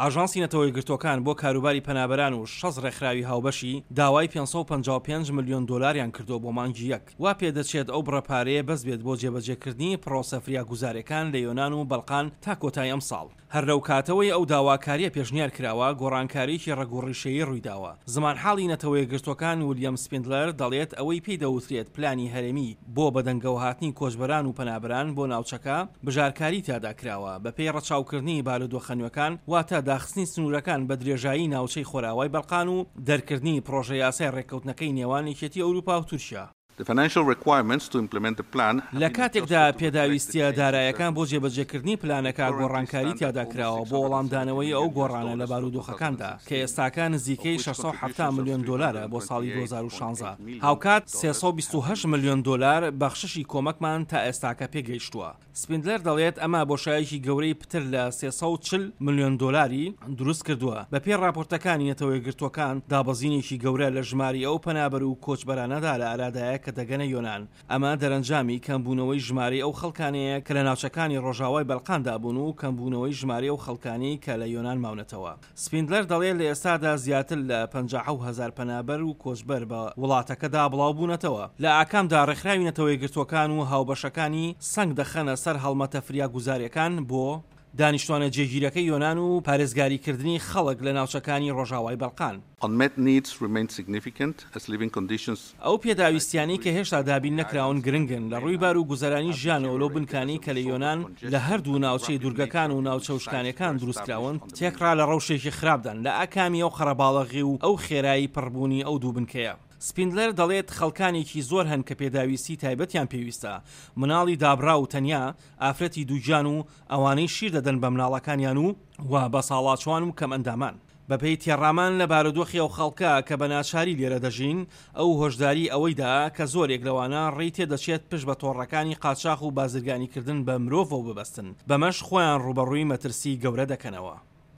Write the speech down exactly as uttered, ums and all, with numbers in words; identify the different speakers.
Speaker 1: ئاژانسی نەتەوە یەکگرتووەکان بۆ کاروباری پەنابەران و شەست ڕێکخراوی هاوبەشی داوای پێنج سەد و پەنجا و پێنج ملیۆن دۆلاریان کردووە بۆ مانگی یەک. وا پێدەچێت ئەو بڕە پارەیە بەس بێت بۆ جێبەجێکردنی پرۆسە فریاگوزاریەکان لە یۆنان و بەڵقان تا کۆتایی ئەمساڵ. هەر لەو کاتەوەی ئەو داواکاریە پێشنیار کراوە، گۆڕانکارییەکی ڕەگ و ڕیشەیی ڕوویداوە. زمانحاڵی نەتەوە یەکگرتووەکان ولیەم سپیندلەر دەڵێت ئەوەی پێی دەوترێت پلانی هەرێمی بۆ بەدەنگەوەهاتنی کۆچبەران و پەنابەران بۆ ناوچەکە بژارکاری تیادا کراوە بەپێی ڕەچاوکردنی بارودۆخە نوێکان، واتە داخستنی سنوورەکان بە درێژایی ناوچەی خۆرئاوای بەڵقان و دەرکردنی پڕۆژە یاسای ڕێککەوتنەکەی نێوان یەکێتی ئەوروپا و تورکیا. لە کاتێکدا پێداویستییە دارایەکان بۆ جێبەجێکردنی پلانەکە گۆڕانکاری تیادا کراوە بۆ وەڵامدانەوەی ئەو گۆڕانە لە بارودۆخەکاندا کە ئێستاکە نزیکەی شەش سەد و حەفتا ملیۆن دۆلارە بۆ ساڵی دوو هەزار و شازدە، هاوکات سێ سەد و بیست و هەشت ملیۆن دۆلار بەخششی کۆمەکمان تا ئێستاکە پێگەیشتووە. سپیندلەر دەڵێت ئەمە بۆشایەکی گەورەی پتر لە سێ سەد و چل ملیۆن دۆلاری دروست کردووە. بەپێی ڕاپۆرتەکانی نەتەوە یەکگرتووەکان، دابەزینێکی گەورە لە ژمارەی ئەو پەنابەر و کۆچبەرانەدا لە ئارادایە کە دەگەنە یۆنان. ئەمە دەرەنجامی کەمبوونەوەی ژمارەی ئەو خەڵکانەیە کە لە ناوچەکانی ڕۆژاوای بەلقاندا بوون و کەمبوونەوەی ژمارەی ئەو خەڵکانەی کە لە یۆنان ماونەتەوە. سپیندلەر دەڵێت لە ئێستادا زیاتر لە پەنجا و حەوت هەزار پەنابەر و کۆچبەر بە وڵاتەکەدا بڵاوبوونەتەوە. لە ئاکامدا ڕێکخراوی نەتەوە یەکگرتووەکان و هاوبەشەکانی سەنگ دەخەنە سەر هەڵمەتە فریاگوزاریەکان بۆ دانیشتوانە جێگیرەکەی یۆنان و پارێزگاریکردنی خەڵک لە ناوچەکانی ڕۆژاوای بەلقان.
Speaker 2: Unmet needs remain significant as living conditions.
Speaker 1: ئەو پێداویستیانەی کە هێشتا دابین نەکراون گرنگن لە ڕووی بار و گوزەرانی ژیانەوە لەو بنکانەی کە لە یۆنان لە هەردوو ناوچەی دوورگەکان و ناوچە وشکانیەکان دروستکراون تێکڕا لە ڕەوشێکی خراپدان لە ئاکامی ئەو قەرەباڵغی و ئەو خێرایی پڕبوونی ئەو دوو بنکەیە. سپیندلەر دەڵێت خەڵکانێکی زۆر هەن کە پێداویستی تایبەتیان پێویستە، مناڵی دابڕاو و تەنیا، ئافرەتی دووگیان و ئەوانەی شیر دەدەن بە مناڵەکانیان و و بەساڵاچوان و کەمئەندامان. بەپێی تێڕامان لە بارودۆخی ئەو خەڵکە کە بە ناچاری لێرە دەژین، ئەو هۆشداری ئەوەی دا کە زۆرێک لەوانە ڕێی تێدەچێت پشت بە تۆڕەکانی قاچاخ و بازرگانیکردن بە مرۆڤەوە ببەستن، بەمەش خۆیان ڕووبەڕووی مەترسی گەورە دەکەنەوە.